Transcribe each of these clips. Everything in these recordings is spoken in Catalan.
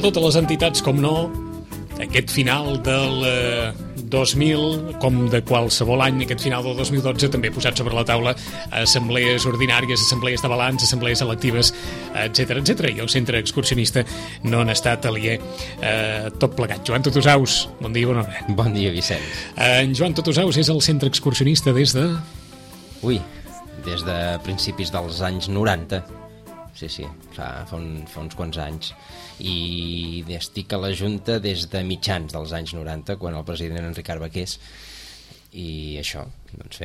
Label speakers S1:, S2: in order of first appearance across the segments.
S1: totes les entitats, com no, aquest final del 2000, com de qualsevol any, aquest final del 2012, també posat sobre la taula assemblees ordinàries, assemblees de balanç, assemblees electives, etc etc. I el centre excursionista no han estat aliè tot plegat. Joan Totosaus, bon dia, bona hora.
S2: Bon dia, Vicenç.
S1: En Joan Totosaus és el centre excursionista des de...
S2: Des de principis dels anys 90. Sí, fa uns quants anys. I estic a la Junta des de mitjans dels anys 90, quan el president era Enric Arbequés, i això, doncs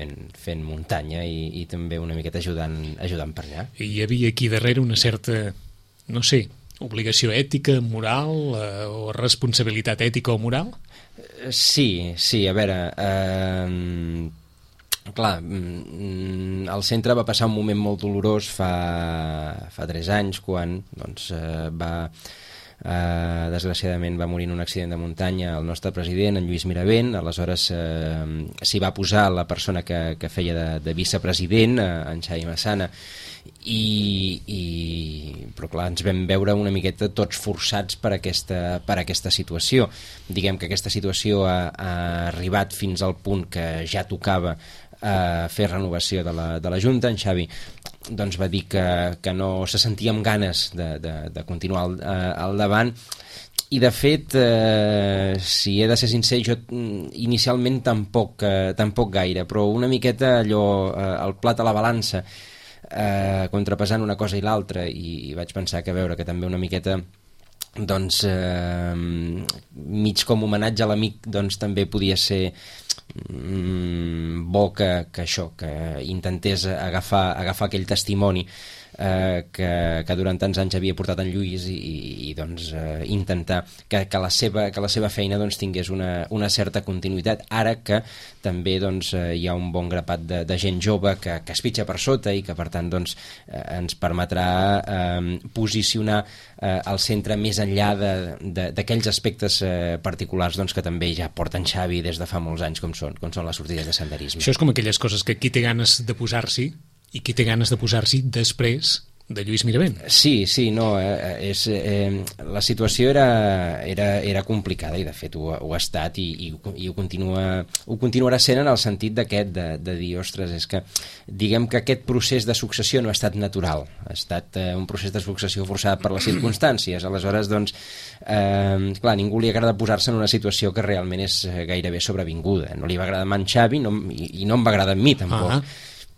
S2: fent muntanya i també una miqueta ajudant per allà.
S1: I hi havia aquí darrere una certa, no sé, obligació ètica, moral, o responsabilitat ètica o moral?
S2: Sí, a veure... Clar, el centre va passar un moment molt dolorós fa 3 anys, quan doncs, desgraciadament va morir en un accident de muntanya el nostre president, en Lluís Miravent. Aleshores s'hi va posar la persona que feia de vicepresident, en Xavi Massana, però clar, ens vam veure una miqueta tots forçats per aquesta situació. Diguem que aquesta situació ha arribat fins al punt que ja tocava fer renovació de la Junta. En Xavi doncs va dir que no se sentia amb ganes de continuar al davant, i de fet, si he de ser sincer, jo inicialment tampoc gaire, però una miqueta allò, el plat a la balança, contrapesant una cosa i l'altra, i vaig pensar que veure que també una miqueta doncs mig com homenatge a l'amic, doncs també podia ser bo que intentés agafar aquell testimoni que durant tants anys havia portat en Lluís, i doncs intentar que la seva feina doncs tingués una certa continuïtat, ara que també doncs hi ha un bon grapat de gent jove que es pitja per sota, i que per tant doncs ens permetrà posicionar el centre més enllà d'aquells aspectes particulars doncs que també ja porten Xavi des de fa molts anys, com són les sortides de senderisme.
S1: Això és com aquelles coses que qui té ganes de posar-s'hi i qui té ganes de posar-s'hi després de Lluís Miravent.
S2: Sí, no, la situació era complicada, i de fet ho ha estat, i ho continuarà sent, en el sentit de dir, ostres, és que diguem que aquest procés de successió no ha estat natural, ha estat un procés de successió forçat per les circumstàncies. Aleshores, doncs, clar, a ningú li agrada posar-se en una situació que realment és gairebé sobrevinguda. No li va agradar a en Xavi, i no em va agradar a mi tampoc.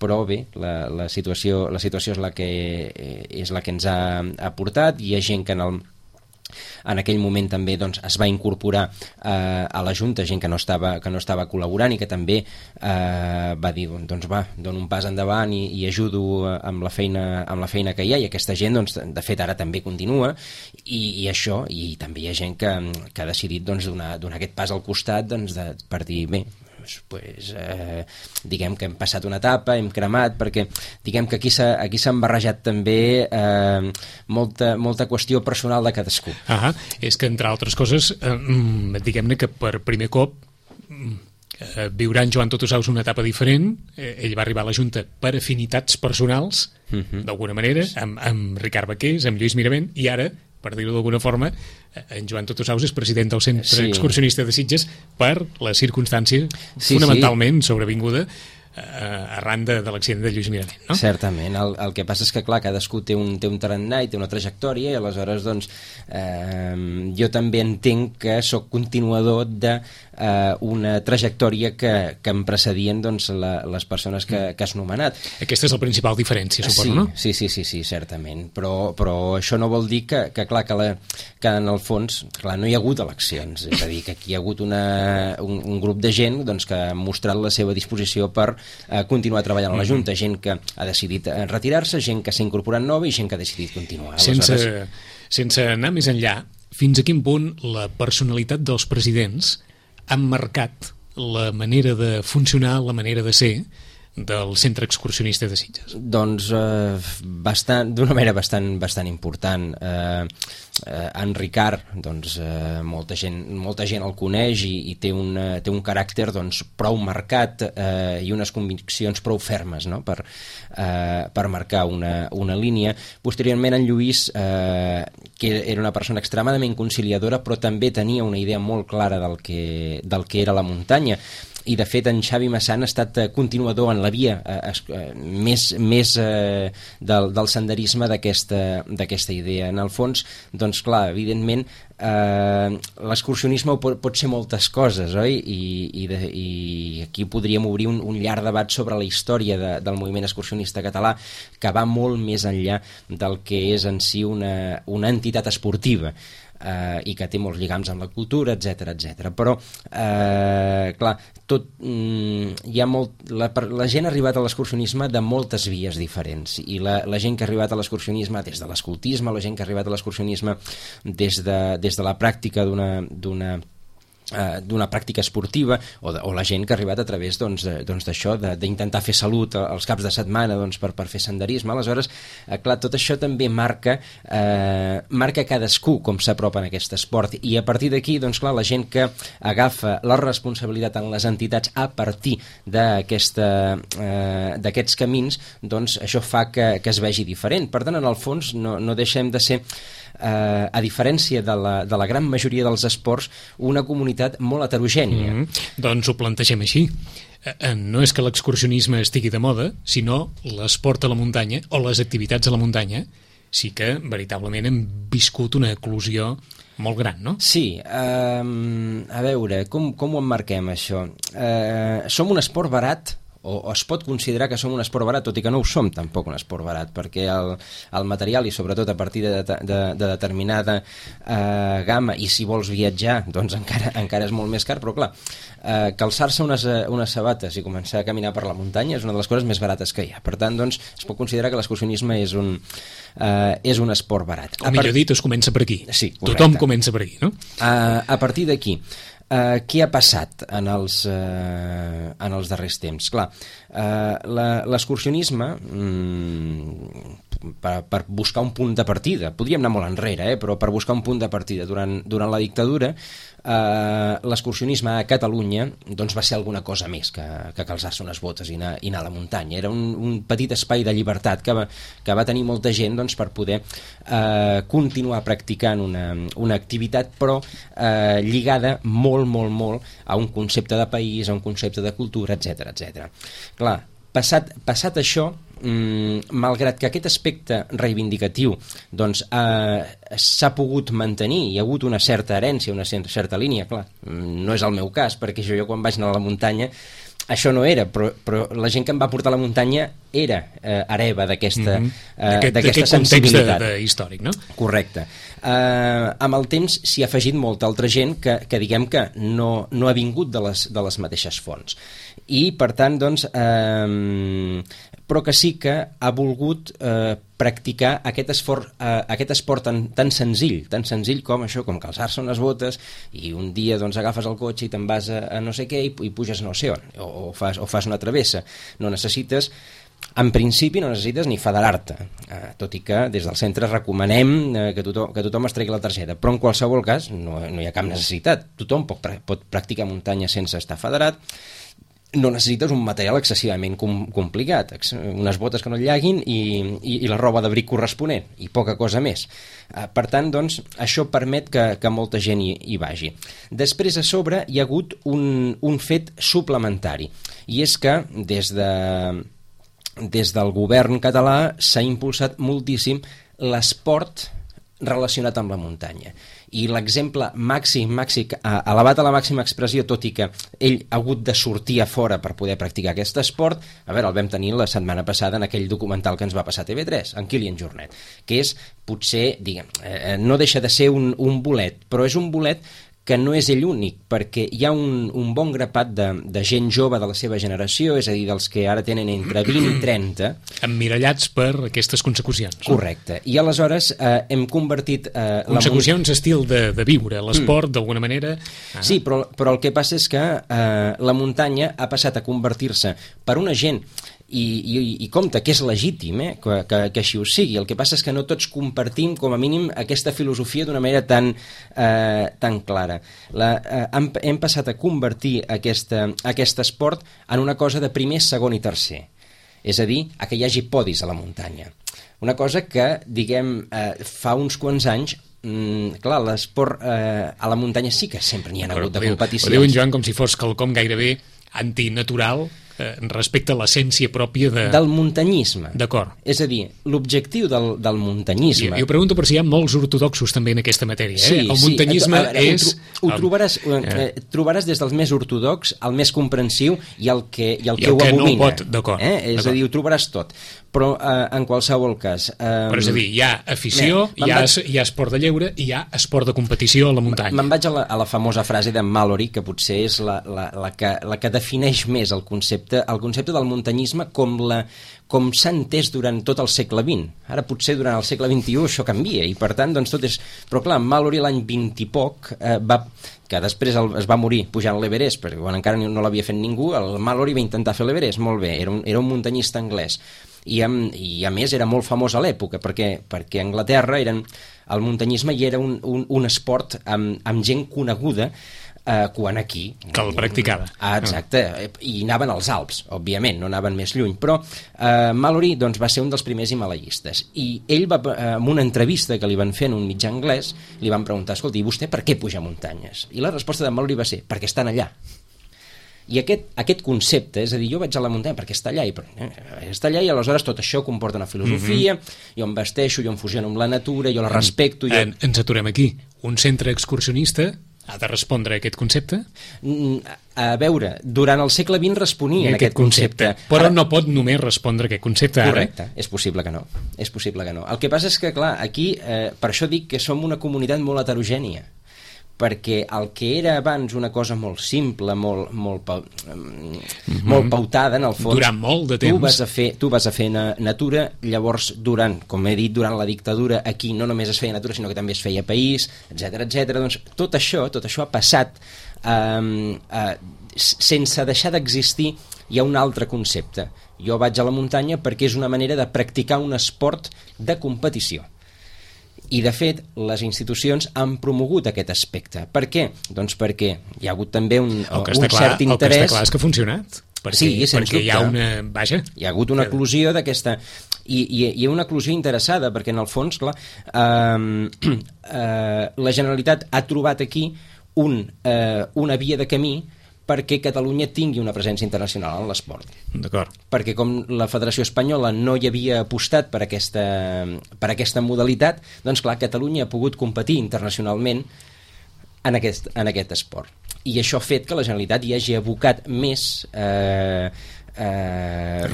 S2: Però bé, la situació és la que ens ha portat. Hi ha gent que en aquell moment també doncs, es va incorporar a la Junta, gent que no estava col·laborant, i que també va dir, doncs va, dono un pas endavant i ajudo amb la feina que hi ha, i aquesta gent doncs, de fet ara també continua, i també hi ha gent que ha decidit doncs, donar aquest pas al costat, doncs, per dir, bé, diguem que hem passat una etapa, hem cremat, perquè diguem que aquí s'han barrejat també molta qüestió personal de cadascú.
S1: És que, entre altres coses, diguem-ne que per primer cop viurà en Joan Totosaus una etapa diferent. Ell va arribar a la Junta per afinitats personals, d'alguna manera, amb Ricard Baqués, amb Lluís Miravent, i ara, per dir-ho d'alguna forma, en Joan Totosaus és president del Centre Excursionista de Sitges per la circumstància fonamentalment sobrevinguda arran de l'accident de Lluís Miravent, no?
S2: Certament, el que passa és que clar, cadascú té un tarannà i té una trajectòria, i aleshores doncs jo també entenc que sóc continuador d'una trajectòria que em precedien doncs, les persones que has nomenat.
S1: Aquesta és la principal diferència, suposo, no?
S2: Sí, certament, però això no vol dir que en el fons no hi ha hagut eleccions, és a dir, que aquí hi ha hagut un grup de gent doncs, que ha mostrat la seva disposició per continuar treballant a la Junta, gent que ha decidit retirar-se, gent que s'ha incorporat nova i gent que ha decidit continuar.
S1: Sense anar més enllà, fins a quin punt la personalitat dels presidents han marcat la manera de funcionar, la manera de ser del centre excursionista de Sitges?
S2: Doncs d'una manera bastant important. En Ricard, doncs, molta gent el coneix i té un caràcter, doncs, prou marcat i unes conviccions prou fermes, no? per marcar una línia. Posteriorment en Lluís, que era una persona extremadament conciliadora, però també tenia una idea molt clara del que era la muntanya. I de fet en Xavi Massana ha estat continuador en la via més del senderisme d'aquesta idea. En el fons, doncs clar, evidentment l'excursionisme pot ser moltes coses, oi? I aquí podríem obrir un llarg debat sobre la història del moviment excursionista català, que va molt més enllà del que és en si una entitat esportiva. I que té molts lligams amb la cultura, etc. Però, clar, hi ha la gent ha arribat a l'excursionisme de moltes vies diferents, i la gent que ha arribat a l'excursionisme des de l'escoltisme, la gent que ha arribat a l'excursionisme des de la pràctica d'una pràctica esportiva, o la gent que ha arribat a través d'això, d'intentar fer salut els caps de setmana per fer senderisme. Aleshores, clar, tot això també marca cadascú com s'apropa en aquest esport, i a partir d'aquí, doncs clar, la gent que agafa la responsabilitat en les entitats a partir d'aquests camins, doncs això fa que es vegi diferent. Per tant, en el fons, no deixem de ser, a diferència de la gran majoria dels esports, una comunitat molt heterogènia.
S1: Doncs ho plantegem així. No és que l'excursionisme estigui de moda, sinó l'esport a la muntanya o les activitats a la muntanya sí que veritablement hem viscut una eclosió molt gran, no?
S2: Sí, a veure, com ho emmarquem això? Som un esport barat, o es pot considerar que som un esport barat, tot i que no ho som tampoc un esport barat, perquè el material, i sobretot a partir de determinada gamma, i si vols viatjar doncs encara és molt més car, però clar, calçar-se unes sabates i començar a caminar per la muntanya és una de les coses més barates que hi ha. Per tant, doncs, es pot considerar que l'excursionisme és un esport barat.
S1: O millor dit, es comença per aquí.
S2: Sí, correcte.
S1: Tothom comença per aquí, no?
S2: A partir d'aquí, què ha passat en els darrers temps? Clar, l'excursionisme, per buscar un punt de partida, podríem anar molt enrere, però per buscar un punt de partida durant la dictadura, l'excursionisme a Catalunya doncs va ser alguna cosa més que calçar-se unes botes i anar a la muntanya. Era un petit espai de llibertat que va tenir molta gent, doncs, per poder continuar practicant una activitat, però lligada molt a un concepte de país, a un concepte de cultura, etc. Clar, passat això, malgrat que aquest aspecte reivindicatiu doncs s'ha pogut mantenir, hi ha hagut una certa herència, una certa línia, clar, no és el meu cas, perquè jo quan vaig anar a la muntanya això no era, però la gent que em va portar a la muntanya era hereva d'aquesta sensibilitat.
S1: Context històric, no?
S2: Correcte. Amb el temps s'hi ha afegit molta altra gent que diguem que no ha vingut de les mateixes fonts. I, per tant, doncs, però que sí que ha volgut practicar aquest esport tan senzill com això, com calçar-se unes botes i un dia doncs agafes el cotxe i te'n vas a no sé què i puges no sé on, o fas una travessa. En principi no necessites ni federar-te, tot i que des del centre recomanem que tothom es tregui la targeta, però en qualsevol cas no hi ha cap necessitat. Tothom pot practicar muntanya sense estar federat. No necessites un material excessivament complicat, unes botes que no et llaguin i la roba d'abric corresponent, i poca cosa més. Per tant, doncs, això permet que molta gent hi vagi. Després, a sobre, hi ha hagut un fet suplementari, i és que des del govern català s'ha impulsat moltíssim l'esport relacionat amb la muntanya. I l'exemple màxim, elevat a la màxima expressió, tot i que ell ha hagut de sortir a fora per poder practicar aquest esport, el vam tenir la setmana passada en aquell documental que ens va passar a TV3, en Kilian Jornet, que és, potser, no deixa de ser un bolet, però és un bolet que no és ell únic, perquè hi ha un bon grapat de gent jove de la seva generació, és a dir, dels que ara tenen entre 20 i 30...
S1: Emmirallats per aquestes consecucions.
S2: Correcte. I aleshores hem convertit...
S1: consecucions estil de viure, l'esport, d'alguna manera...
S2: Sí, però el que passa és que la muntanya ha passat a convertir-se per una gent... I compte, que és legítim que així ho sigui. El que passa és que no tots compartim, com a mínim, aquesta filosofia d'una manera tan clara. Hem passat a convertir aquest esport en una cosa de primer, segon i tercer. És a dir, a que hi hagi podis a la muntanya. Una cosa que, diguem, fa uns quants anys clar, l'esport a la muntanya sí que sempre n'hi ha hagut de competicions.
S1: Ho diu en Joan com si fos quelcom gairebé antinatural respecte a l'essència pròpia
S2: del muntanyisme.
S1: D'acord.
S2: És a dir, l'objectiu del muntanyisme...
S1: Jo pregunto per si hi ha molts ortodoxos també en aquesta matèria.
S2: Sí,
S1: el muntanyisme és...
S2: Ho trobaràs des dels més ortodox al més comprensiu i el que ho abomina.
S1: No pot, d'acord.
S2: És a dir, ho trobaràs tot. Però en qualsevol cas...
S1: Però és a dir, hi ha afició, hi ha esport de lleure i hi ha esport de competició a la muntanya.
S2: Me'n vaig a la famosa frase de Mallory, que potser és la que defineix més el concepte del muntanyisme com s'ha entès durant tot el segle XX. Ara potser durant el segle XXI això canvia i per tant doncs tot és... Però clar, Mallory l'any 20 i poc que després es va morir pujant l'Everest, perquè quan encara no l'havia fet ningú, el Mallory va intentar fer l'Everest, molt bé, era un muntanyista anglès. I a més era molt famós a l'època perquè a Anglaterra el muntanyisme hi era un esport amb gent coneguda quan aquí...
S1: Que el practicava.
S2: Exacte, i anaven als Alps, òbviament, no anaven més lluny, però Mallory doncs, va ser un dels primers himalaiistes, i ell en una entrevista que li van fer en un mitjà anglès, li van preguntar, escolta, i vostè per què puja muntanyes? I la resposta de Mallory va ser, perquè estan allà. I aquest concepte, és a dir, jo vaig a la muntanya perquè està allà, i aleshores tot això comporta una filosofia, jo em vesteixo, jo em fusiono amb la natura, jo la respecto...
S1: Ens aturem aquí. Un centre excursionista ha de respondre a aquest concepte?
S2: A veure, durant el segle XX responia a aquest concepte.
S1: Però no pot només respondre a aquest concepte ara.
S2: Correcte, és possible que no. El que passa és que, clar, aquí, per això dic que som una comunitat molt heterogènia, perquè el que era abans una cosa molt simple, molt pautada, en el fons...
S1: Durant molt de temps.
S2: Tu vas a fer natura, llavors, durant la dictadura, aquí no només es feia natura, sinó que també es feia país, etc. Doncs tot això ha passat sense deixar d'existir. Hi ha un altre concepte. Jo vaig a la muntanya perquè és una manera de practicar un esport de competició. I, de fet, les institucions han promogut aquest aspecte. Per què? Doncs perquè hi ha hagut també un cert interès...
S1: El que està clar és que ha funcionat. Perquè hi ha una... Vaja.
S2: Hi ha hagut una eclosió d'aquesta... I hi ha una eclosió interessada, perquè, en el fons, clar, la Generalitat ha trobat aquí una via de camí perquè Catalunya tingui una presència internacional en l'esport.
S1: D'acord.
S2: Perquè com la Federació Espanyola no hi havia apostat per aquesta modalitat, doncs clar, Catalunya ha pogut competir internacionalment en aquest esport. I això ha fet que la Generalitat hi hagi abocat més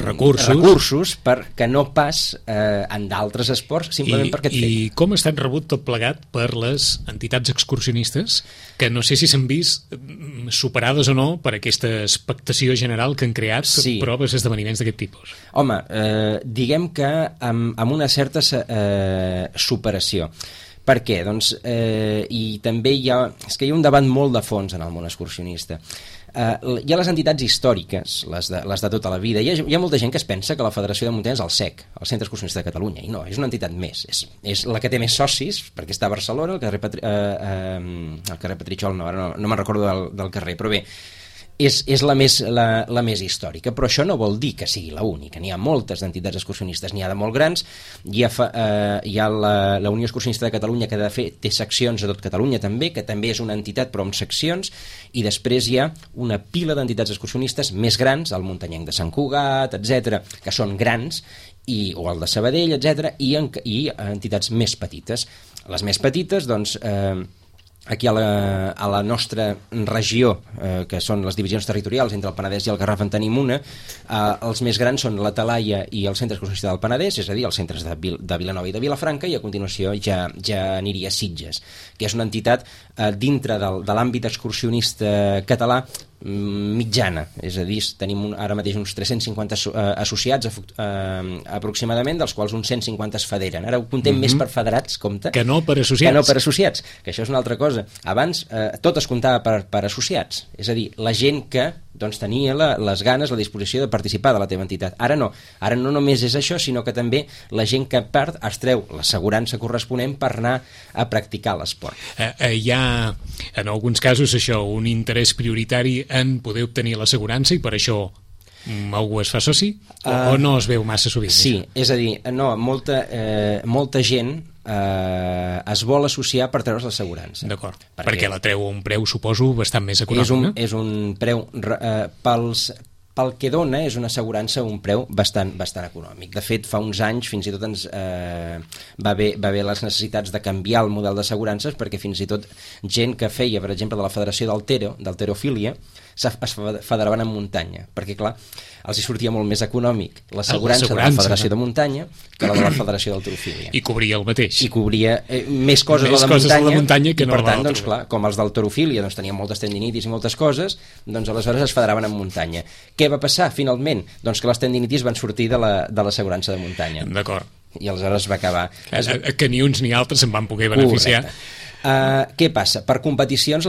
S2: recursos que no pas en d'altres esports, simplement per aquest fet.
S1: I com ha estat rebut tot plegat per les entitats excursionistes, que no sé si s'han vist superades o no per aquesta expectació general que han creat proves d'esdeveniments d'aquest tipus?
S2: Home, diguem que amb una certa superació. Per què? Doncs, i també hi ha un debat molt de fons en el món excursionista. Hi ha les entitats històriques, les de tota la vida. Hi ha molta gent que es pensa que la Federació de Muntanya és el CEC, el Centre Excursionista de Catalunya, i no, és una entitat més. És la que té més socis, perquè està a Barcelona, el carrer Petritxol, no me'n recordo del carrer, però bé, és la més històrica, però això no vol dir que sigui l'única. N'hi ha moltes entitats excursionistes, n'hi ha de molt grans. Hi ha la Unió Excursionista de Catalunya, que de fet té seccions a tot Catalunya també, que també és una entitat però amb seccions, i després hi ha una pila d'entitats excursionistes més grans, el Muntanyenc de Sant Cugat, etc., que són grans, o el de Sabadell, etc., i entitats més petites. Les més petites, doncs... aquí a la nostra regió, que són les divisions territorials entre el Penedès i el Garraf en tenim una, els més grans són la Talaia i el Centre Excursionista del Penedès, és a dir, els centres de Vilanova i de Vilafranca, i a continuació ja aniria Sitges, que és una entitat dintre de l'àmbit excursionista català mitjana, és a dir, tenim ara mateix uns 350 associats aproximadament, dels quals uns 150 es federen. Ara ho comptem més per federats, compte,
S1: que no per associats.
S2: Que no per associats, que això és una altra cosa. Abans tot es comptava per associats, és a dir, la gent que doncs tenia les ganes, la disposició de participar de la teva entitat. Ara no només és això, sinó que també la gent que perd es treu l'assegurança corresponent per anar a practicar l'esport.
S1: Hi ha, en alguns casos, això, un interès prioritari en poder obtenir l'assegurança i per això algú es fa soci? O no es veu massa sovint?
S2: Sí,
S1: això?
S2: És a dir, no, molta gent es vol associar per treure's l'assegurança.
S1: D'acord, perquè la treu a un preu, suposo, bastant més econòmic.
S2: És un preu pel que dona, és una assegurança a un preu bastant econòmic. De fet, fa uns anys fins i tot va haver les necessitats de canviar el model d'assegurances, perquè fins i tot gent que feia, per exemple, de la Federació d'Halterofília, es federaven en muntanya, perquè clar, els hi sortia molt més econòmic l'assegurança de la Federació de Muntanya que la de la Federació d'Halterofília.
S1: I cobria el mateix.
S2: I cobria més coses de la muntanya
S1: que
S2: i
S1: no
S2: per tant, doncs, clar, com els d'halterofília doncs, tenien moltes tendinitis i moltes coses, doncs aleshores es federaven en muntanya. Què va passar finalment? Doncs que les tendinitis van sortir de l'assegurança de muntanya.
S1: D'acord.
S2: I aleshores va acabar...
S1: Que ni uns ni altres se'n van poder beneficiar.
S2: Què passa? Per competicions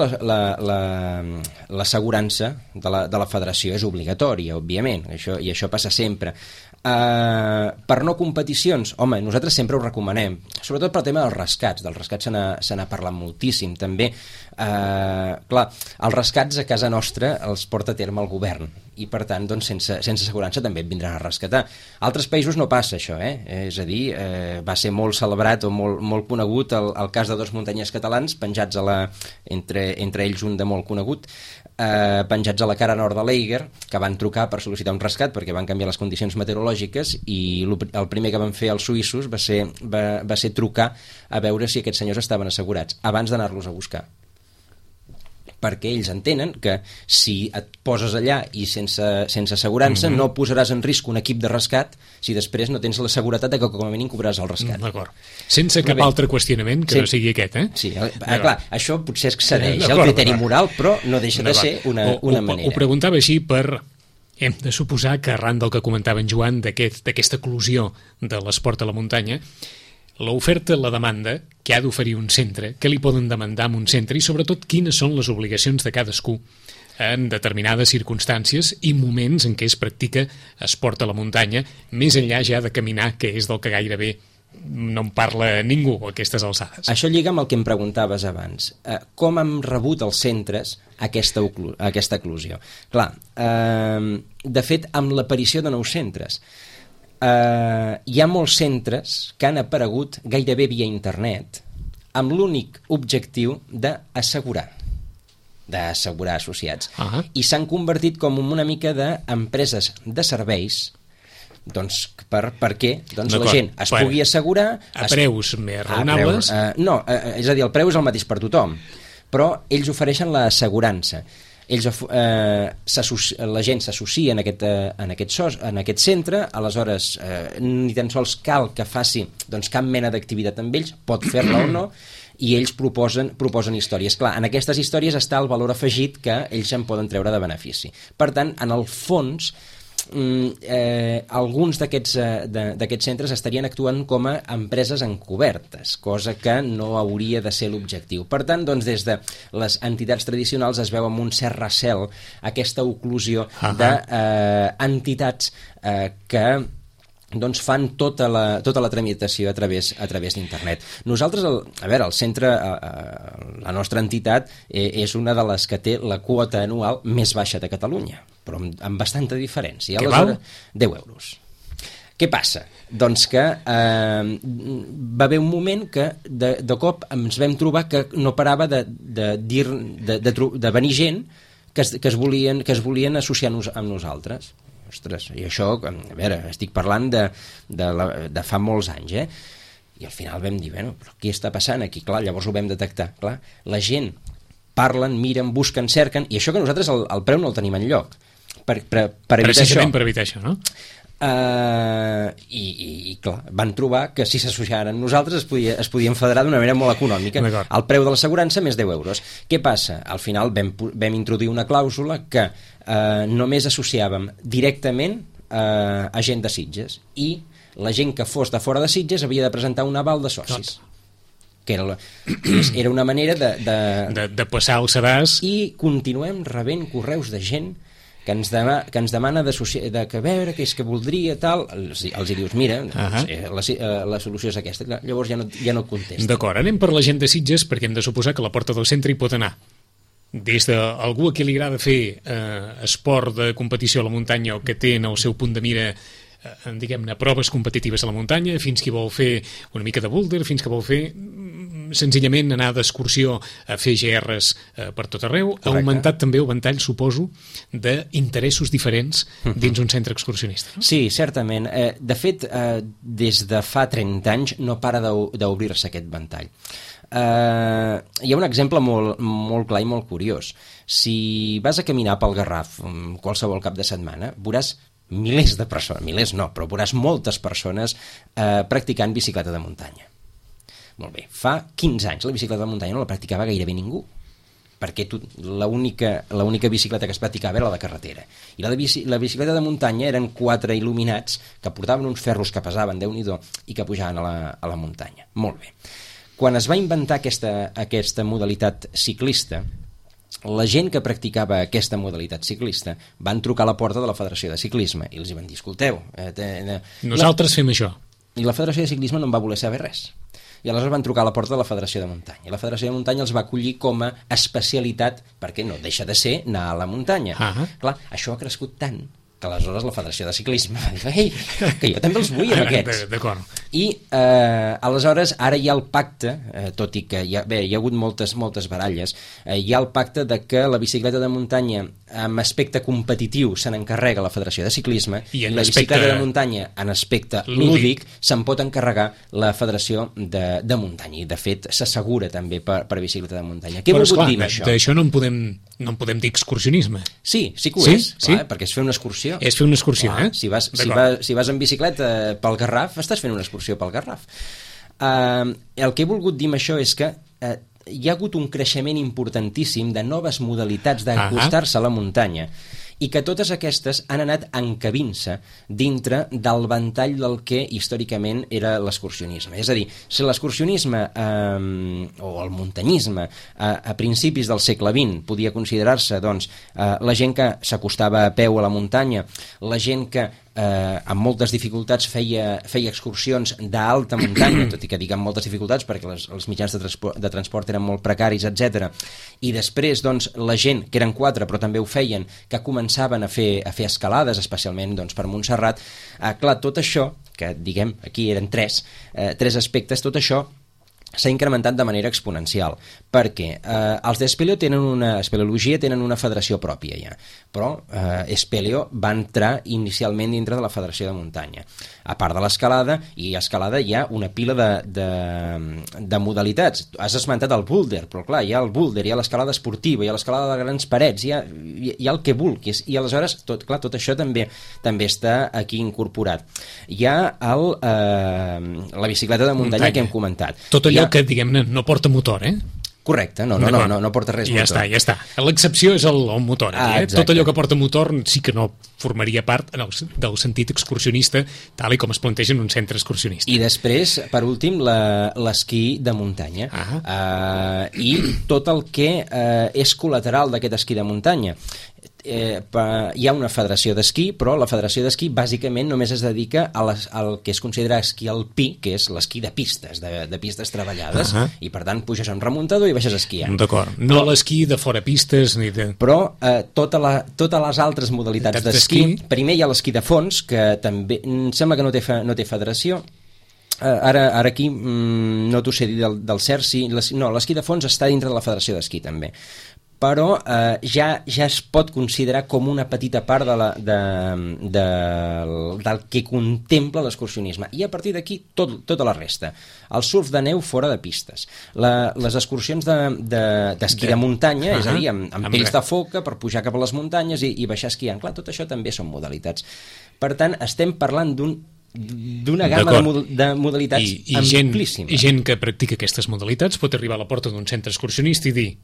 S2: l'assegurança de la federació és obligatòria, òbviament, i això passa sempre. Per no competicions, home, nosaltres sempre ho recomanem, sobretot pel tema dels rescats. Dels rescats se n'ha parlat moltíssim, també. Clar, els rescats a casa nostra els porta a terme el govern, i per tant, doncs, sense assegurança també et vindran a rescatar. A altres països no passa això, és a dir, va ser molt celebrat o molt conegut el cas de dos muntanyers catalans penjats entre ells un de molt conegut, penjats a la cara nord de l'Eiger, que van trucar per sol·licitar un rescat perquè van canviar les condicions meteorològiques, i el primer que van fer els suïssos va ser trucar a veure si aquests senyors estaven assegurats abans d'anar-los a buscar, perquè ells entenen que si et poses allà i sense assegurança no posaràs en risc un equip de rescat si després no tens la seguretat de que com a mínim cobraràs el rescat.
S1: D'acord. Sense cap altre qüestionament que no sigui aquest,
S2: Sí, clar, això potser excedeix el criteri moral, però no deixa de ser una manera.
S1: Ho preguntava així per... Hem de suposar que arran del que comentava en Joan d'aquesta eclosió de l'esport a la muntanya, l'oferta, la demanda que ha d'oferir un centre, què li poden demandar a un centre i sobretot quines són les obligacions de cadascú en determinades circumstàncies i moments en què es practica esport a la muntanya, més enllà ja de caminar, que és del que gairebé no en parla ningú a aquestes alçades.
S2: Això lliga amb el que em preguntaves abans. Com han rebut els centres aquesta eclosió? Clar, de fet, amb l'aparició de nous centres, hi ha molts centres que han aparegut gairebé via internet amb l'únic objectiu d'assegurar associats, i s'han convertit com una mica d'empreses de serveis, doncs perquè la gent es pugui assegurar
S1: a preus més raonables.
S2: No, és a dir, el preu és el mateix per tothom, però ells ofereixen l'assegurança. La gent s'associa en aquest centre, aleshores ni tan sols cal que faci cap mena d'activitat amb ells, pot fer-la o no, i ells proposen històries. Clar, en aquestes històries està el valor afegit que ells en poden treure de benefici. Per tant, en el fons, alguns d'aquests centres estarien actuant com a empreses encobertes, cosa que no hauria de ser l'objectiu. Per tant, doncs, des de les entitats tradicionals es veu amb un cert recel aquesta oclusió d'entitats que doncs fan tota la tramitació a través d'internet. Nosaltres, el centre, la nostra entitat, és una de les que té la quota anual més baixa de Catalunya, però amb bastanta diferència.
S1: Què val?
S2: 10 euros. Què passa? Doncs que va haver un moment que de cop ens vam trobar que no parava de venir gent que es volien associar amb nosaltres. Ostres, i això, a veure, estic parlant de fa molts anys, I al final vam dir, bueno, però què està passant aquí? Clar, llavors ho vam detectar. Clar, la gent parlen, miren, busquen, cerquen, i això que nosaltres el preu no el tenim enlloc. Per evitar això.
S1: Precisament per evitar això, no?
S2: I clar, van trobar que si s'associaren amb nosaltres es podien federar d'una manera molt econòmica. El preu de l'assegurança més 10 euros. Què passa? Al final vam introduir una clàusula que només associàvem directament a gent de Sitges, i la gent que fos de fora de Sitges havia de presentar un aval de socis. Que era una manera
S1: de passar el sedàs.
S2: I continuem rebent correus de gent que ens demana de que veure què és que voldria, tal, els hi dius, mira, la solució és aquesta. Llavors ja no et contesta.
S1: D'acord, anem per la gent de Sitges, perquè hem de suposar que la Porta del Centre hi pot anar. Des d'algú a qui li agrada fer esport de competició a la muntanya o que té en el seu punt de mira diguem-ne, proves competitives a la muntanya, fins qui vol fer una mica de boulder, fins que vol fer senzillament anar d'excursió a fer GRs per tot arreu. Correcte. Ha augmentat també el ventall, suposo, d'interessos diferents dins un centre excursionista. No?
S2: Sí, certament. De fet, des de fa 30 anys no para d'obrir-se aquest ventall. Hi ha un exemple molt clar i molt curiós. Si vas a caminar pel Garraf qualsevol cap de setmana, veuràs milers de persones, milers no, però veuràs moltes persones practicant bicicleta de muntanya. Molt bé, fa 15 anys la bicicleta de muntanya no la practicava gairebé ningú, perquè l'única bicicleta que es practicava era la de carretera. I la bicicleta de muntanya eren 4 il·luminats que portaven uns ferros que pesaven, Déu-n'hi-do, i que pujaven a la muntanya. Molt bé. Quan es va inventar aquesta modalitat ciclista, la gent que practicava aquesta modalitat ciclista van trucar a la porta de la Federació de Ciclisme i els van dir, escolteu,
S1: nosaltres fem això.
S2: I la Federació de Ciclisme no en va voler saber res. I aleshores van trucar a la porta de la Federació de Muntanya. I la Federació de Muntanya els va acollir com a especialitat, perquè no deixa de ser anar a la muntanya. Clar, això ha crescut tant que aleshores la Federació de Ciclisme va dir, ei, que jo també els vull amb aquests.
S1: D'acord.
S2: I aleshores ara hi ha el pacte, tot i que hi ha hagut moltes baralles, hi ha el pacte de que la bicicleta de muntanya amb aspecte competitiu se n'encarrega la Federació de Ciclisme i la bicicleta de muntanya en aspecte lúdic se'n pot encarregar la Federació de Muntanya, i de fet s'assegura també per bicicleta de muntanya. Què vol dir això?
S1: D'això no en podem dir excursionisme.
S2: Sí que ho és, clar, perquè és fer una excursió.
S1: És fer una excursió,
S2: clar, si vas en bicicleta pel Garraf, estàs fent una excursió pel Garraf. El que he volgut dir amb això és que hi ha hagut un creixement importantíssim de noves modalitats d'acostar-se a la muntanya, i que totes aquestes han anat encabint-se dintre del ventall del que històricament era l'excursionisme. És a dir, si l'excursionisme o el muntanyisme a principis del segle XX podia considerar-se doncs, la gent que s'acostava a peu a la muntanya, la gent que amb moltes dificultats feia excursions d'alta muntanya, tot i que dic amb moltes dificultats perquè els mitjans de transport eren molt precaris, etc. I després doncs, la gent, que eren 4 però també ho feien, que començaven a fer escalades, especialment doncs, per Montserrat, clar, tot això, que diguem aquí eren 3 aspectes, tot això s'ha incrementat de manera exponencial, perquè els d'Espeleologia tenen una federació pròpia ja, però Espeleo va entrar inicialment dintre de la Federació de Muntanya. A part de l'escalada, i a escalada hi ha una pila de modalitats. Has esmentat el boulder, però clar, hi ha el boulder, hi ha l'escalada esportiva, hi ha l'escalada de grans parets, hi ha el que vulguis, i aleshores tot això també està aquí incorporat. Hi ha la bicicleta de muntanya que hem comentat.
S1: Tot allò que, diguem-ne, no porta motor,
S2: Correcte, no porta res motor.
S1: Ja està. L'excepció és el motor. Tot allò que porta motor sí que no formaria part del sentit excursionista tal i com es planteja en un centre excursionista.
S2: I després, per últim, l'esquí de muntanya. I tot el que és col·lateral d'aquest esquí de muntanya. Hi ha una federació d'esquí, però la federació d'esquí bàsicament només es dedica al que es considera esquí alpí, que és l'esquí de pistes, de pistes treballades, i per tant puges a un remuntador i baixes esquiant.
S1: D'acord, no l'esquí de fora pistes ni de...
S2: Però totes les altres modalitats d'esquí, primer hi ha l'esquí de fons, que també em sembla que no té federació. Ara aquí no t'ho sé dir del cert, sí, no, l'esquí de fons està dintre de la federació d'esquí també. però ja es pot considerar com una petita part del que contempla l'excursionisme. I a partir d'aquí tota la resta. El surf de neu fora de pistes. Les excursions d'esquí de muntanya, és a dir, amb pells de foca per pujar cap a les muntanyes i baixar esquiant. Clar, tot això també són modalitats. Per tant, estem parlant d'una gamma de modalitats amplíssima.
S1: I gent que practica aquestes modalitats pot arribar a la porta d'un centre excursionista i dir: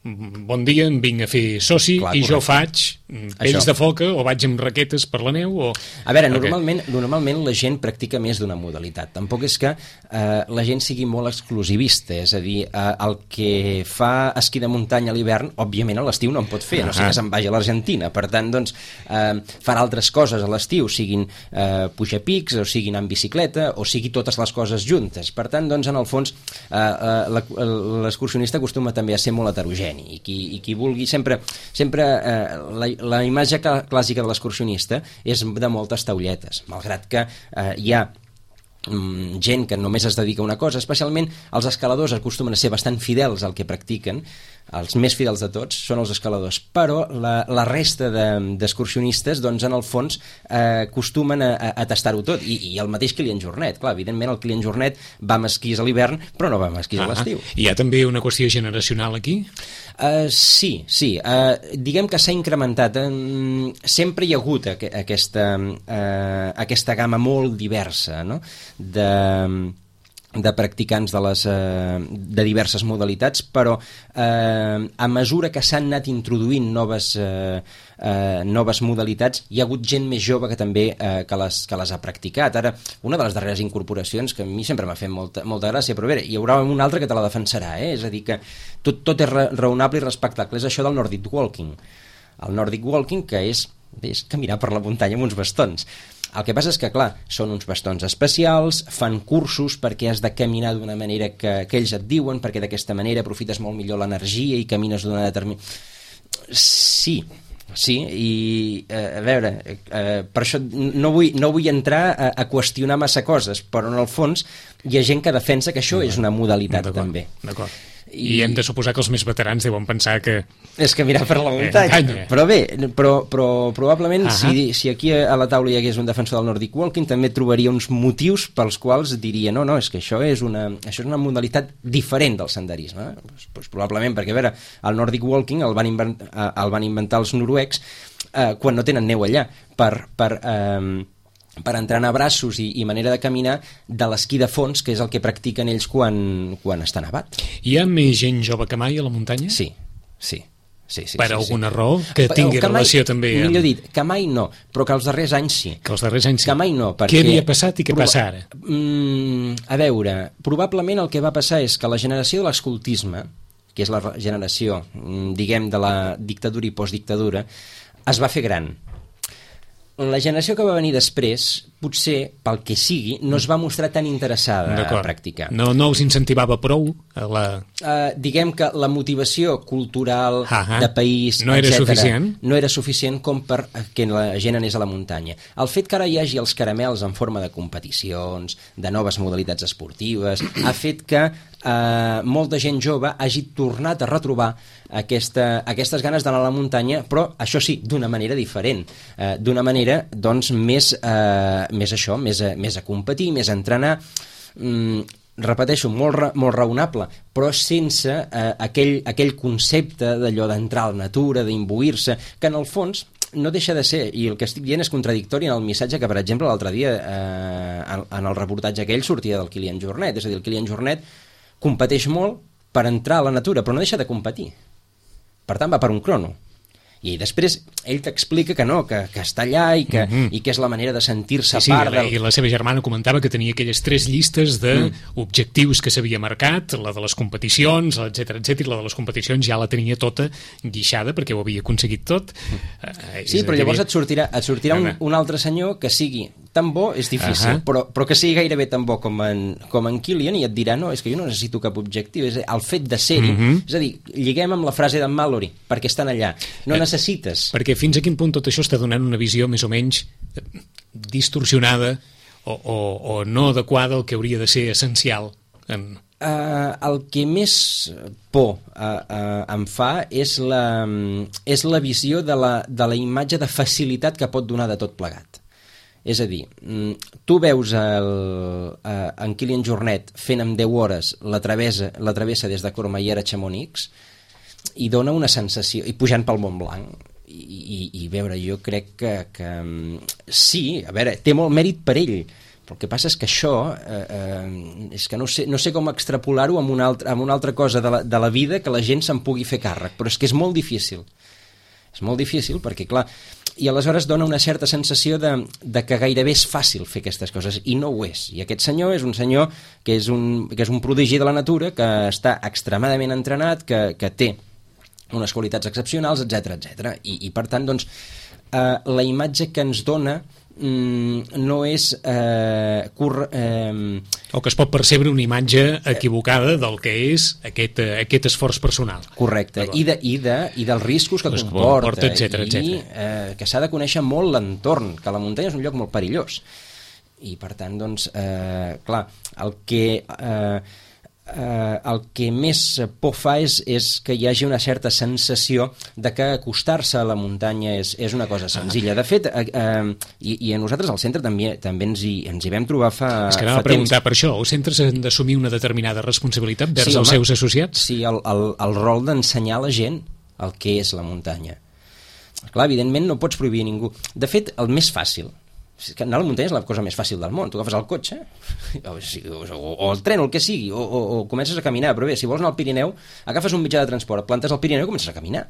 S1: bon dia, em vinc a fer soci. Clar, i correcte. Jo faig pells de foca o vaig amb raquetes per la neu o...
S2: A veure, normalment la gent practica més d'una modalitat. Tampoc és que la gent sigui molt exclusivista, és a dir, el que fa esquí de muntanya a l'hivern, òbviament a l'estiu no en pot fer, no sé que se'n vagi a l'Argentina. Per tant, doncs, farà altres coses a l'estiu, siguin pujar pics, o siguin en bicicleta, o sigui totes les coses juntes. Per tant, doncs, en el fons, l'excursionista acostuma també a ser molt heterogeni. I qui vulgui sempre la imatge clàssica de l'excursionista és de moltes taulletes, malgrat que hi ha gent que només es dedica a una cosa. Especialment els escaladors acostumen a ser bastant fidels al que practiquen, els més fidels de tots són els escaladors, però la resta d'excursionistes, doncs, en el fons acostumen a tastar-ho tot, i el mateix Kilian Jornet. Clar, evidentment el Kilian Jornet va amb esquís a l'hivern, però no va amb esquís a l'estiu.
S1: Hi ha també una qüestió generacional aquí?
S2: Sí. Diguem que s'ha incrementat. Sempre hi ha hagut aquesta gamma molt diversa, no?, de practicants de diverses modalitats, però a mesura que s'han anat introduint noves modalitats, hi ha hagut gent més jove que també que les ha practicat. Ara, una de les darreres incorporacions que a mi sempre m'ha fet molta gràcia, però bé, hi haurà una altra que te la defensarà, és a dir, que tot és raonable i respectable, és això del Nordic Walking. El Nordic Walking, que és caminar per la muntanya amb uns bastons. El que passa és que, clar, són uns bastons especials, fan cursos perquè has de caminar d'una manera que ells et diuen, perquè d'aquesta manera aprofites molt millor l'energia i camines d'una determinada... Sí, i a veure, per això no vull entrar a qüestionar massa coses, però en el fons hi ha gent que defensa que això és una modalitat també.
S1: D'acord. I hem de suposar que els més veterans deuen pensar que...
S2: És caminar per la muntanya. Però bé, però probablement si aquí a la taula hi hagués un defensor del Nordic Walking també trobaria uns motius pels quals diria no, és que això és una modalitat diferent del senderisme. Pues probablement perquè, a veure, el Nordic Walking el van inventar els noruecs quan no tenen neu allà per entrenar braços i manera de caminar de l'esquí de fons, que és el que practiquen ells quan està nevat.
S1: Hi ha més gent jove que mai a la muntanya?
S2: Sí.
S1: Per alguna raó que tingui relació també amb...
S2: Millor dit, que mai no, però que els darrers anys sí.
S1: Que
S2: mai no, perquè...
S1: Què havia passat i què passa ara?
S2: A veure, probablement el que va passar és que la generació de l'escoltisme, que és la generació, diguem, de la dictadura i postdictadura, es va fer gran. La generació que va venir després, potser, pel que sigui, no es va mostrar tan interessada a practicar.
S1: No us incentivava prou a la...
S2: Diguem que la motivació cultural de país,
S1: no era suficient?
S2: No era suficient com per que la gent anés a la muntanya. El fet que ara hi hagi els caramels en forma de competicions, de noves modalitats esportives, ha fet que molta gent jove hagi tornat a retrobar aquestes ganes d'anar a la muntanya, però això sí, d'una manera diferent, d'una manera doncs més a competir, més a entrenar, repeteixo, molt raonable, però sense aquell concepte d'allò d'entrar a la natura, d'imbuir-se, que en el fons no deixa de ser, i el que estic dient és contradictori en el missatge que, per exemple, l'altre dia en el reportatge aquell sortia del Kilian Jornet, és a dir, el Kilian Jornet competeix molt per entrar a la natura, però no deixa de competir. Per tant, va per un crono. I després ell t'explica que no, que està allà i que és la manera de sentir-se part del...
S1: I la seva germana comentava que tenia aquelles 3 llistes d'objectius que s'havia marcat, la de les competicions, etc, i la de les competicions ja la tenia tota guixada perquè ho havia aconseguit tot.
S2: Sí, però llavors et sortirà un altre senyor que sigui tan bo, és difícil, però que sigui gairebé tan bo com en Kilian, i et dirà, no, és que jo no necessito cap objectiu, és el fet de ser-hi. És a dir, lliguem amb la frase d'en Mallory, perquè estan allà. No necessites.
S1: Perquè fins a quin punt tot això està donant una visió més o menys distorsionada o no adequada al que hauria de ser essencial en
S2: El que més por em fa és la visió de la imatge de facilitat que pot donar de tot plegat. És a dir, tu veus en Kilian Jornet fent en 10 hores la travessa des de Courmayeur a Chamonix i dona una sensació, i pujant pel Mont Blanc, i veure, jo crec que sí, a veure, té molt mèrit per ell, però el que passa és que això és que no sé com extrapolar-ho amb una altra cosa de la vida que la gent se'n pugui fer càrrec, però és que és molt difícil perquè clar, i aleshores dona una certa sensació de que gairebé és fàcil fer aquestes coses, i no ho és. I aquest senyor és un senyor que és un prodigi de la natura, que està extremadament entrenat, que té unes qualitats excepcionals, etc. I per tant, doncs, la imatge que ens dona no és
S1: o que es pot percebre una imatge equivocada del que és aquest esforç personal.
S2: Correcte, i dels riscos que comporta,
S1: etcètera.
S2: Que s'ha de conèixer molt l'entorn, que la muntanya és un lloc molt perillós, i per tant, doncs, clar, el que més por fa és que hi hagi una certa sensació de que acostar-se a la muntanya és una cosa senzilla. De fet, i a nosaltres al centre també ens hi vam trobar fa temps.
S1: És que anava a preguntar per això, els centres han d'assumir una determinada responsabilitat vers els seus associats?
S2: Sí, el rol d'ensenyar a la gent el que és la muntanya. Clar, evidentment no pots prohibir a ningú. De fet, el més fàcil, que anar a la muntanya és la cosa més fàcil del món. Tu agafes el cotxe o el tren o el que sigui, o comences a caminar, però bé, si vols anar al Pirineu, agafes un mitjà de transport, et plantes al Pirineu i comences a caminar.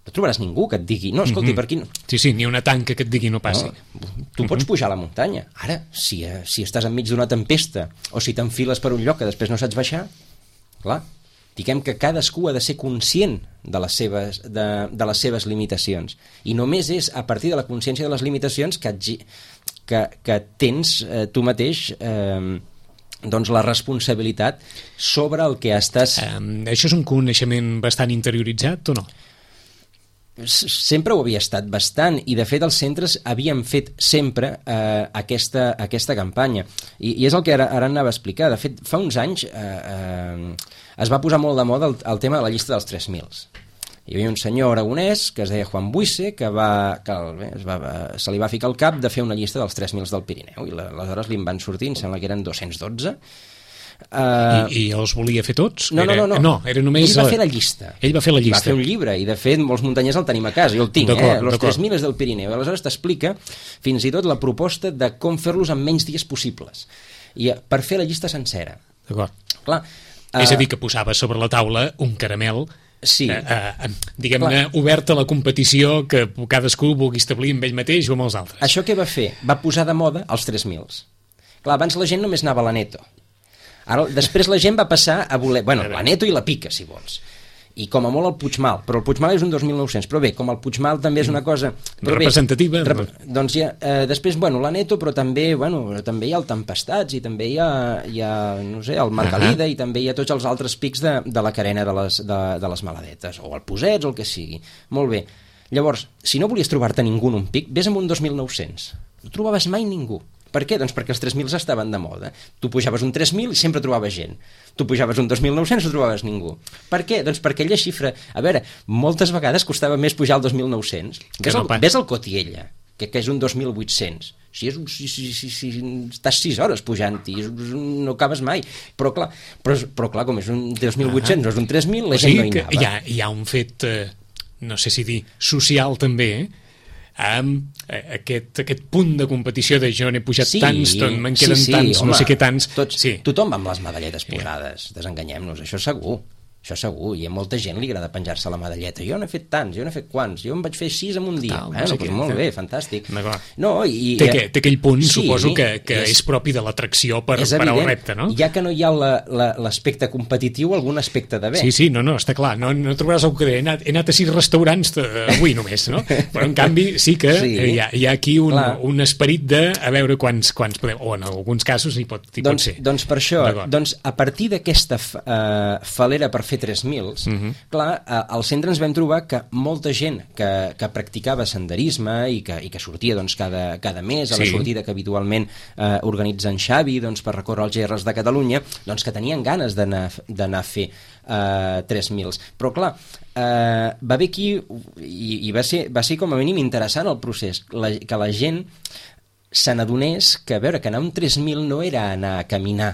S2: No trobaràs ningú que et digui, no, escolti, per aquí no.
S1: Sí, ni una tanca que et digui no passi.
S2: No, tu pots pujar a la muntanya. Ara, si estàs enmig d'una tempesta o si t'enfiles per un lloc que després no saps baixar, clar, diguem que cadascú ha de ser conscient de les seves limitacions, i només és a partir de la consciència de les limitacions que tens tu mateix doncs la responsabilitat sobre el que estàs...
S1: Això és un coneixement bastant interioritzat o no?
S2: Sempre ho havia estat bastant, i de fet els centres havien fet sempre aquesta campanya, i és el que ara anava a explicar. De fet, fa uns anys es va posar molt de moda el tema de la llista dels 3.000. Hi havia un senyor aragonès que es deia Juan Buisse que se li va ficar al cap de fer una llista dels 3.000 del Pirineu, i aleshores li en van sortir, em sembla que eren 212.
S1: I els volia fer tots?
S2: No.
S1: Era només...
S2: Ell va fer la llista.
S1: Ell va fer la llista.
S2: Va fer un llibre, i de fet molts muntanyers el tenim a casa, jo el tinc, los 3.000 del Pirineu. Aleshores t'explica fins i tot la proposta de com fer-los en menys dies possibles, i per fer la llista sencera.
S1: D'acord.
S2: Clar,
S1: és a dir, que posava sobre la taula un caramel,
S2: sí,
S1: diguem-ne, obert a la competició que cadascú vulgui establir amb ell mateix o amb els altres.
S2: Això què va fer? Va posar de moda els 3.000. Clar, abans la gent només anava a l'Aneto. Ara, després la gent va passar a voler... Bueno, l'Aneto i la Pica, si vols. I com a molt el Puigmal, però el Puigmal és un 2.900, però bé, com el Puigmal també és una cosa...
S1: representativa.
S2: Doncs ja, després, l'Aneto, però també hi ha el Tempestats, i també hi ha no sé, el Margalida, i també hi ha tots els altres pics de la carena de les Maladetes, o el Posets, o el que sigui. Molt bé. Llavors, si no volies trobar-te ningú en un pic, vés amb un 2.900. No trobaves mai ningú. Per què? Doncs perquè els 3.000 estaven de moda. Tu pujaves un 3.000 i sempre trobaves gent. Tu pujaves un 2.900 i no trobaves ningú. Per què? Doncs perquè aquella xifra... A veure, moltes vegades costava més pujar al 2.900. Ves al Cotiella, que és un 2.800. Si estàs 6 hores pujant-hi, no acabes mai. Però clar, com és un 2.800, no és un 3.000, la gent no hi anava.
S1: Hi ha un fet, no sé si dir, social també, amb aquest punt de competició de jo n'he pujat tants, me'n queden tants, home, no sé què tants...
S2: Tothom va amb les medalletes posades, desenganyem-nos, això segur. Això segur, i a molta gent li agrada penjar-se la medalleta. Jo n'he fet tants, jo n'he fet quants, jo en vaig fer 6 en un dia. Molt bé, fantàstic.
S1: Té aquell punt, suposo, que és propi de l'atracció per al repte, no?
S2: Ja que no hi ha l'aspecte competitiu, algun aspecte d'haver.
S1: Sí, no, està clar. No trobaràs algú que he anat a 6 restaurants avui només, no? Però en canvi sí que hi ha aquí un esperit de a veure quants podem, o en alguns casos hi pot ser.
S2: Doncs per això, a partir d'aquesta falera per fer 3.000, clar, al centre ens vam trobar que molta gent que practicava senderisme i que sortia doncs, cada mes a la sortida que habitualment organitza en Xavi doncs, per recórrer els GRs de Catalunya, doncs que tenien ganes d'anar a fer 3.000. Però clar, va haver aquí, i va ser com a mínim interessant el procés, que la gent se n'adonés que, a veure, que anar un 3.000 no era anar a caminar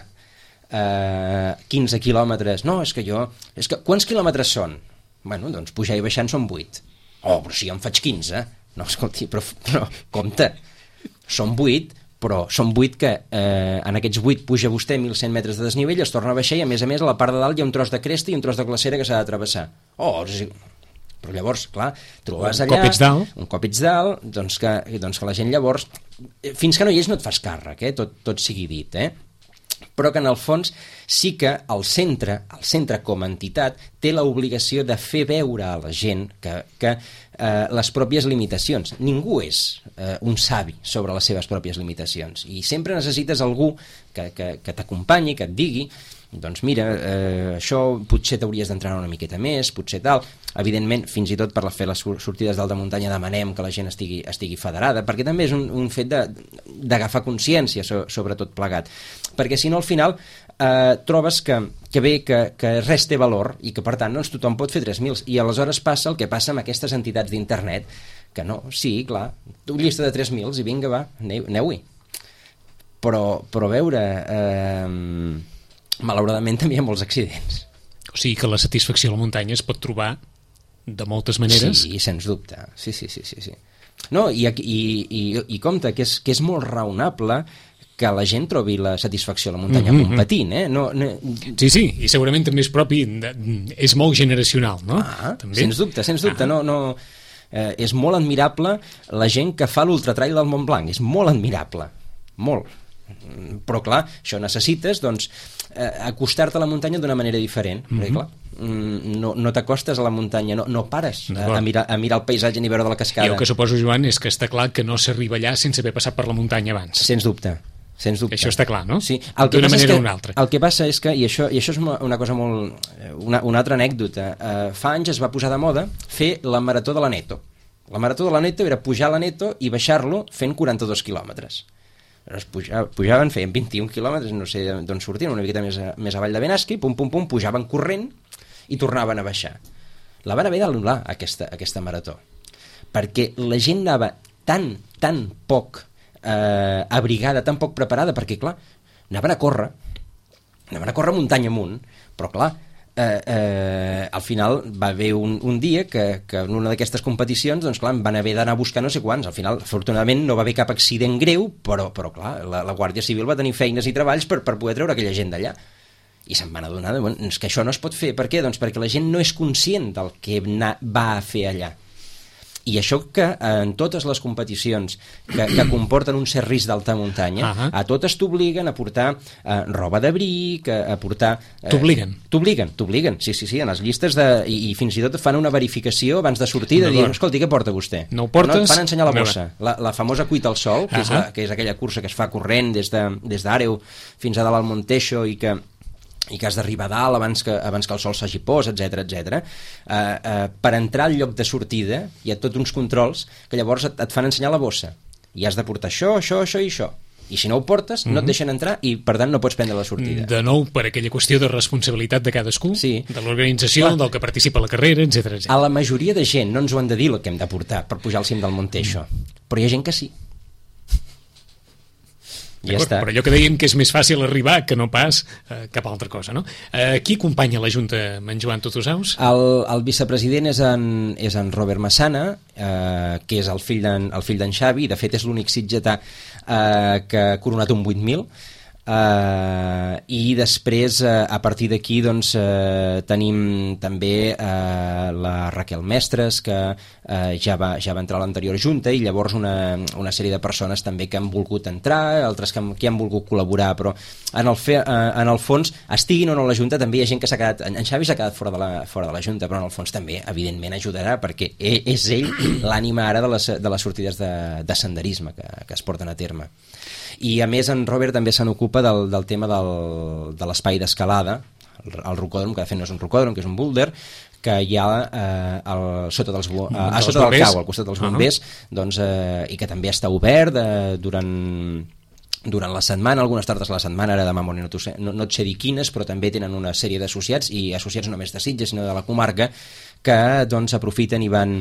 S2: 15 quilòmetres. No, és que quants quilòmetres són? Bueno, doncs pujar i baixant són 8. Oh, però si jo en faig 15. No, escolti, però compte, són 8, però són 8 que en aquests 8 puja vostè 1.100 metres de desnivell, es torna a baixar i a més a la part de dalt hi ha un tros de cresta i un tros de glacera que s'ha de travessar. Oh, però llavors, clar, trobaves allà... Un cop ets dalt, doncs que la gent llavors... Fins que no hi és no et fas càrrec, tot sigui dit, però que en el fons sí que el centre com a entitat té l'obligació de fer veure a la gent que les pròpies limitacions. Ningú és un savi sobre les seves pròpies limitacions i sempre necessites algú que t'acompanyi, que et digui doncs mira, això potser t'hauries d'entrenar una miqueta més, potser tal. Evidentment, fins i tot per fer les sortides d'alta muntanya demanem que la gent estigui federada, perquè també és un fet d'agafar consciència sobre tot plegat. Perquè si no, al final trobes que res té valor i que, per tant, doncs, tothom pot fer 3.000. I aleshores passa el que passa amb aquestes entitats d'internet, que no, sí, clar, una llista de 3.000 i vinga, va, aneu-hi. Però a veure... malauradament també hi ha molts accidents.
S1: O sigui que la satisfacció a la muntanya es pot trobar de moltes maneres.
S2: Sí, sens dubte. Sí. No, i compte, que és molt raonable que la gent trobi la satisfacció a la muntanya competint, No...
S1: Sí, i segurament també és propi, és molt generacional, no?
S2: També? Sens dubte, no... és molt admirable la gent que fa l'ultratrail del Mont Blanc, és molt admirable, molt. Però clar, això necessites doncs acostar-te a la muntanya d'una manera diferent, perquè clar, no t'acostes a la muntanya, no pares a mirar el paisatge ni veure de la cascada.
S1: I el que suposo, Joan, és que està clar que no s'arriba allà sense haver passat per la muntanya abans.
S2: Sens dubte. Això
S1: està clar, no?
S2: Sí.
S1: D'una manera o una altra.
S2: El que passa és que, i això és una cosa molt... una altra anècdota, fa anys es va posar de moda fer la marató de l'Aneto. La marató de l'Aneto era pujar a l'Aneto i baixar-lo fent 42 quilòmetres. Pujaven, feien 21 quilòmetres, no sé d'on sortien, una miqueta més avall de Benasque, pum, pujaven corrent i tornaven a baixar. La van haver d'anul·lar, aquesta marató, perquè la gent anava tan poc abrigada, tan poc preparada, perquè, clar, anaven a córrer muntanya amunt, però, clar, al final va haver un dia que en una d'aquestes competicions doncs clar, van haver d'anar a buscar no sé quants. Al final, afortunadament, no va haver cap accident greu, però clar, la Guàrdia Civil va tenir feines i treballs per poder treure aquella gent d'allà. I se'n van adonar és que això no es pot fer. Per què? Doncs perquè la gent no és conscient del que va a fer allà. I això que en totes les competicions que comporten un cert risc d'alta muntanya, a totes t'obliguen a portar roba d'abric, a portar... T'obliguen, sí, en les llistes i fins i tot fan una verificació abans de sortir, de dir, escolti, què porta vostè?
S1: No ho portes?
S2: Et fan ensenyar la bossa. La famosa Cuita al Sol, que és aquella cursa que es fa corrent des d'Àreu fins a dalt al Monteixo i que has d'arribar a dalt abans que el sol s'hagi pos, etc. Per entrar al lloc de sortida hi ha tots uns controls que llavors et fan ensenyar la bossa i has de portar això i això, i si no ho portes no et deixen entrar i per tant no pots prendre la sortida.
S1: De nou, per aquella qüestió de responsabilitat de cadascú, de l'organització, del que participa a la carrera, etc.
S2: A la majoria de gent no ens ho han de dir el que hem de portar per pujar al cim del Monteixo, però hi ha gent que sí. Ja està.
S1: Però allò que dèiem que és més fàcil arribar que no pas cap altra cosa, no? Qui acompanya la Junta amb en Joan Tutusaus?
S2: El vicepresident és en Robert Massana, que és el fill d'en Xavi, de fet és l'únic sitgetà que ha coronat un 8.000, i després a partir d'aquí doncs tenim també la Raquel Mestres, que ja va entrar a l'anterior junta, i llavors una sèrie de persones també que han volgut entrar, altres que han volgut col·laborar, però en el fons, estiguin o no a la junta, també hi ha gent que s'ha quedat, en Xavi s'ha quedat fora de la junta, però en el fons també evidentment ajudarà, perquè és ell l'ànima ara de les sortides de senderisme que es porten a terme. I a més en Robert també se n'ocupa del tema de l'espai d'escalada, el rocòdrom, que de fet no és un rocòdrom, que és un búlder, que hi ha sota del cau, al costat dels bombers, doncs, i que també està obert durant la setmana, algunes tardes a la setmana, ara demà no et sé dir quines, però també tenen una sèrie d'associats, i associats no només de Sitges, sinó de la comarca, que doncs aprofiten i van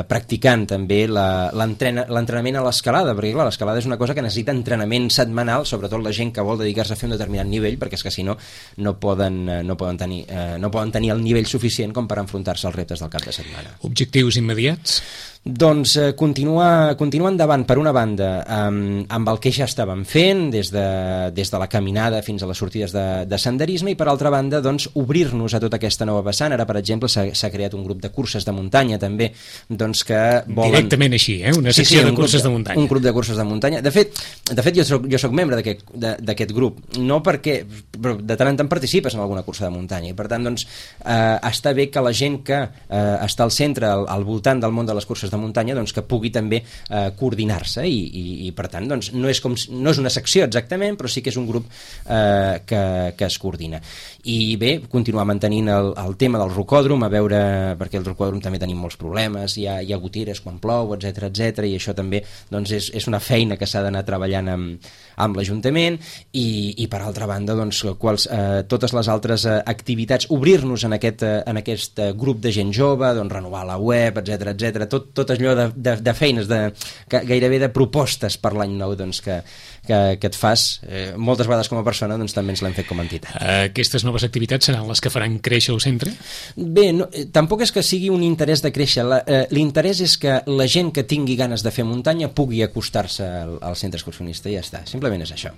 S2: practicant també l'entrenament a l'escalada, perquè clar, l'escalada és una cosa que necessita entrenament setmanal, sobretot la gent que vol dedicar-se a fer un determinat nivell, perquè és que si no, no poden tenir el nivell suficient com per enfrontar-se als reptes del cap de setmana.
S1: Objectius immediats?
S2: Doncs continuar endavant, per una banda, amb el que ja estàvem fent, des de la caminada fins a les sortides de senderisme, i per altra banda, doncs, obrir-nos a tota aquesta nova vessant. Ara, per exemple, s'ha creat un grup de curses de muntanya, també, doncs, que volen...
S1: Directament així, una secció de curses de muntanya.
S2: Un grup de curses de muntanya. De fet jo soc membre d'aquest grup, no perquè... però de tant en tant participes en alguna cursa de muntanya, i per tant, doncs, està bé que la gent que està al centre, al voltant del món de les curses de muntanya, doncs, que pugui també coordinar-se, i per tant, doncs, no és una secció exactament, però sí que és un grup que es coordina. I bé, continuar mantenint el tema del rocòdrom, a veure, perquè el rocòdrom també tenim molts problemes, hi ha goteres quan plou, etc, i això també, doncs, és una feina que s'ha d'anar treballant amb l'Ajuntament, i per altra banda, doncs, totes les altres activitats, obrir-nos en aquest grup de gent jove, doncs, renovar la web, etc, tot allò de feines, gairebé de propostes per l'any nou, doncs, que et fas moltes vegades com a persona, doncs també ens l'hem fet com a entitat.
S1: Aquestes noves activitats seran les que faran créixer el centre?
S2: Bé, tampoc és que sigui un interès de créixer, l'interès és que la gent que tingui ganes de fer muntanya pugui acostar-se al centre excursionista, i ja està, simplement és això.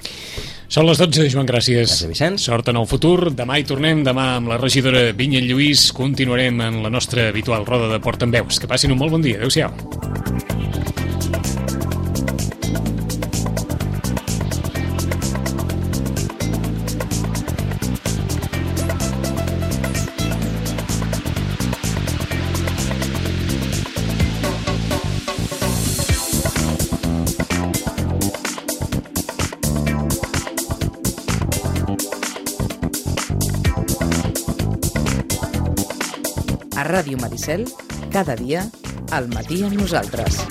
S1: Són les 12, Joan, gràcies.
S2: Gràcies, Vicenç.
S1: Sort en el futur, demà hi tornem, demà amb la regidora Vinyet Lluís continuarem en la nostra habitual roda de portaveus. Que passin un molt bon dia, adeu-siau.
S3: A Ràdio Maricel, cada dia, al matí amb nosaltres.